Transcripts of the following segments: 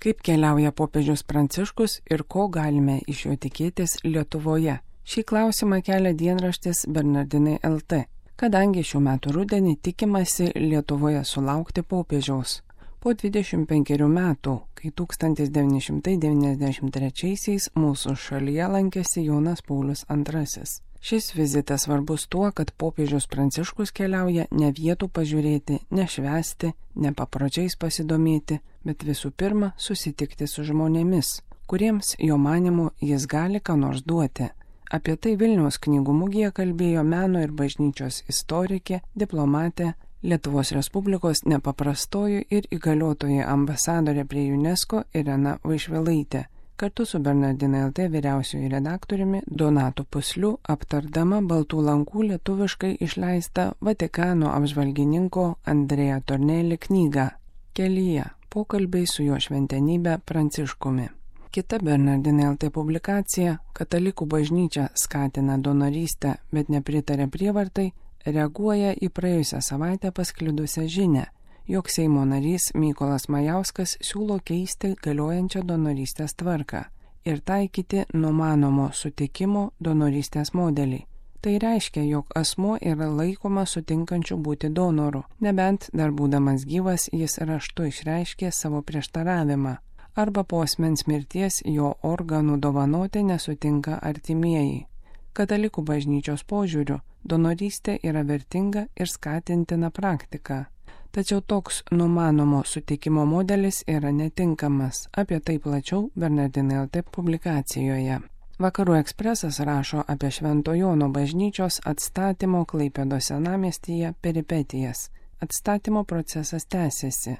Kaip keliauja popiežius Pranciškus ir ko galime iš jo tikėtis Lietuvoje? Šį klausimą kelia dienraštis Bernardinai LT, kadangi šių metų rudenį tikimasi Lietuvoje sulaukti popiežiaus. Po 25 metų, kai 1993 mūsų šalyje lankėsi Jonas Paulius II. Šis vizitas svarbus tuo, kad popiežius Pranciškus keliauja ne vietų pažiūrėti, ne švęsti, ne papročiais pasidomėti, bet visų pirma susitikti su žmonėmis, kuriems jo manymu jis gali ką nors duoti. Apie tai Vilniaus knygų mugėje kalbėjo meno ir bažnyčios istorikė, diplomatė, Lietuvos Respublikos nepaprastoji ir įgaliotoji ambasadorė prie UNESCO Irena Vaišvilaitė, kartu su Bernardinai LT vyriausioju redaktoriumi Donatu Pusliu aptardama Baltų lankų lietuviškai išleistą Vatikano apžvalgininko Andrea Tornelli knygą Kelyje – pokalbiai su jo šventenybe Pranciškumi. Kita Bernardinai LT publikacija Katalikų bažnyčia skatina donorystę, bet nepritarė prievartai, reaguoja į praėjusią savaitę pasklidusią žinią, jog Seimo narys Mykolas Majauskas siūlo keisti galiojančią donorystės tvarką ir taikyti numanomo sutikimo donorystės modelį. Tai reiškia, jog asmuo yra laikomas sutinkančiu būti donoru, nebent dar būdamas gyvas jis raštu išreiškė savo prieštaravimą, arba po asmens mirties jo organų dovanoti nesutinka artimieji. Katalikų bažnyčios požiūriu, donorystė yra vertinga ir skatintina praktika. Tačiau toks numanomo sutikimo modelis yra netinkamas. Apie tai plačiau Bernardinai LT publikacijoje. Vakarų ekspresas rašo apie Švento Jono bažnyčios atstatymo Klaipėdos senamiestyje peripetijas. Atstatymo procesas tęsiasi.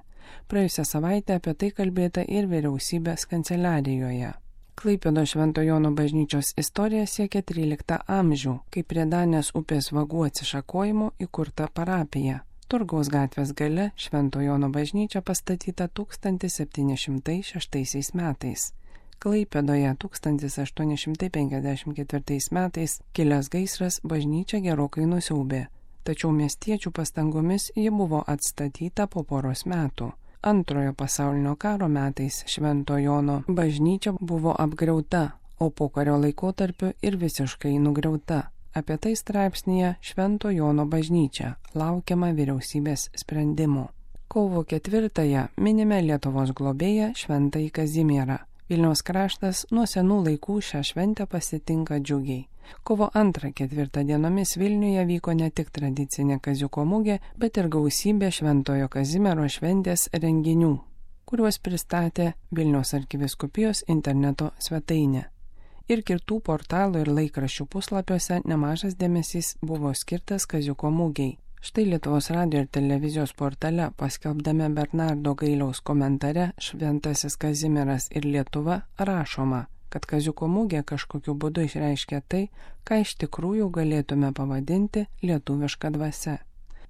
Praėjusią savaitę apie tai kalbėta ir vyriausybės kanceliarijoje. Klaipėdos Švento Jono bažnyčios istorija siekia 13 amžių, kai prie Danės upės vagų atsišakojimo įkurta parapija. Turgaus gatvės gale Švento Jono bažnyčia pastatyta 1706 metais. Klaipėdoje 1854 metais kilęs gaisras bažnyčią gerokai nusiaubė, tačiau miestiečių pastangomis ji buvo atstatyta po poros metų. Antrojo pasaulinio karo metais Švento Jono bažnyčia buvo apgriauta, o pokario laikotarpiu ir visiškai nugriauta. Apie tai straipsnyje Švento Jono bažnyčia laukiama vyriausybės sprendimų. Kovo 4-ąją minime Lietuvos globėją Šventąjį Kazimierą. Vilniaus kraštas nuo senų laikų šią šventę pasitinka džiugiai. Kovo 2-4 dienomis Vilniuje vyko ne tik tradicinė Kaziuko mugė, bet ir gausybė Šventojo Kazimiero šventės renginių, kuriuos pristatė Vilniaus arkivyskupijos interneto svetainė. Ir kitų portalų ir laikraščių puslapiuose nemažas dėmesys buvo skirtas Kaziuko mugei. Štai Lietuvos radijo ir televizijos portale paskelbdame Bernardo Gailiaus komentare Šventasis Kazimieras ir Lietuva rašoma, kad Kaziuko mugė kažkokiu būdu išreiškia tai, ką iš tikrųjų galėtume pavadinti lietuviška dvasia.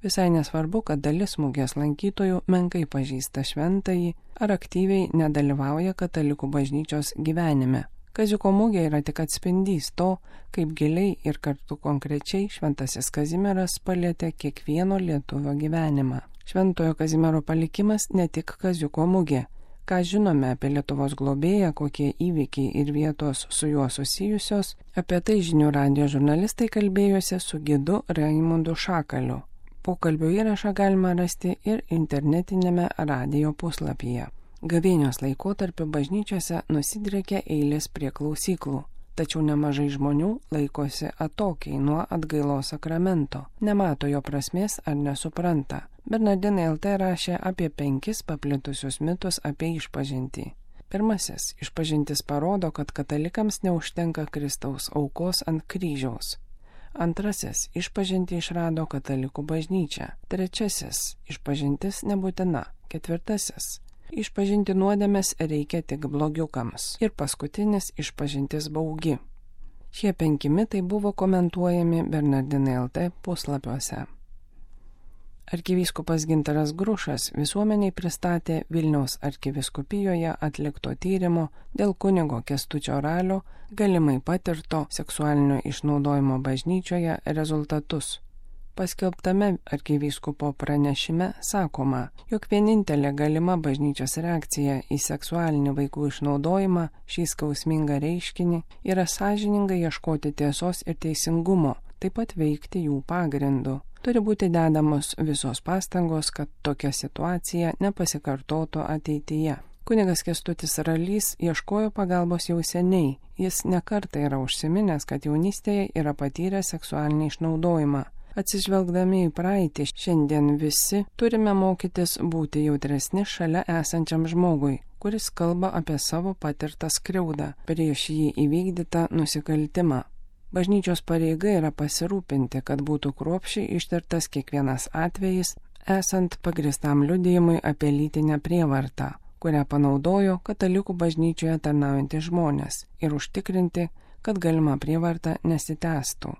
Visai nesvarbu, kad dalis mugės lankytojų menkai pažįsta šventąjį ar aktyviai nedalyvauja katalikų bažnyčios gyvenime. Kaziuko mugė yra tik atspindys to, kaip giliai ir kartu konkrečiai Šventasis Kazimieras palietė kiekvieno lietuvio gyvenimą. Šventojo Kazimiero palikimas ne tik Kaziuko mugė. Ką žinome apie Lietuvos globėją, kokie įvykiai ir vietos su juo susijusios, apie tai Žinių radijo žurnalistai kalbėjosi su gidu Raimundu Šakaliu. Pokalbio įrašą galima rasti ir internetinėme radijo puslapyje. Gavėnios laikotarpiu bažnyčiose nusidriekia eilės prie klausyklų, tačiau nemažai žmonių laikosi atokiai nuo atgailos sakramento, nemato jo prasmės ar nesupranta. Bernardinai LT rašė apie 5 paplitusius mitus apie išpažintį. Pirmasis, išpažintis parodo, kad katalikams neužtenka Kristaus aukos ant kryžiaus. Antrasis, išpažintį išrado katalikų bažnyčia. Trečiasis, išpažintis nebūtina. Ketvirtasis, išpažinti nuodėmes reikia tik blogiukams. Ir paskutinis, išpažintis baugi. Šie 5 mitai buvo komentuojami Bernardinai LT puslapiuose. Arkivyskupas Gintaras Grušas visuomeniai pristatė Vilniaus arkivyskupijoje atlikto tyrimo dėl kunigo Kęstučio Ralio galimai patirto seksualinio išnaudojimo bažnyčioje rezultatus. Paskelbtame arkivyskupo pranešime sakoma, jog vienintelė galima bažnyčios reakcija į seksualinį vaikų išnaudojimą, šį skausmingą reiškinį, yra sąžiningai ieškoti tiesos ir teisingumo, taip pat veikti jų pagrindu. Turi būti dedamos visos pastangos, kad tokia situacija nepasikartotų ateityje. Kunigas Kęstutis Ralys ieškojo pagalbos jau seniai. Jis nekartą yra užsiminęs, kad jaunystėje yra patyręs seksualinį išnaudojimą. Atsižvelgdami į praeitį, šiandien visi turime mokytis būti jautresni šalia esančiam žmogui, kuris kalba apie savo patirtą skriaudą prieš jį įvykdytą nusikaltimą. Bažnyčios pareiga yra pasirūpinti, kad būtų kruopščiai ištirtas kiekvienas atvejis, esant pagristam liudijimui apie lytinę prievartą, kurią panaudojo katalikų bažnyčioje tarnaujantys žmonės, ir užtikrinti, kad galima prievarta nesitęstų.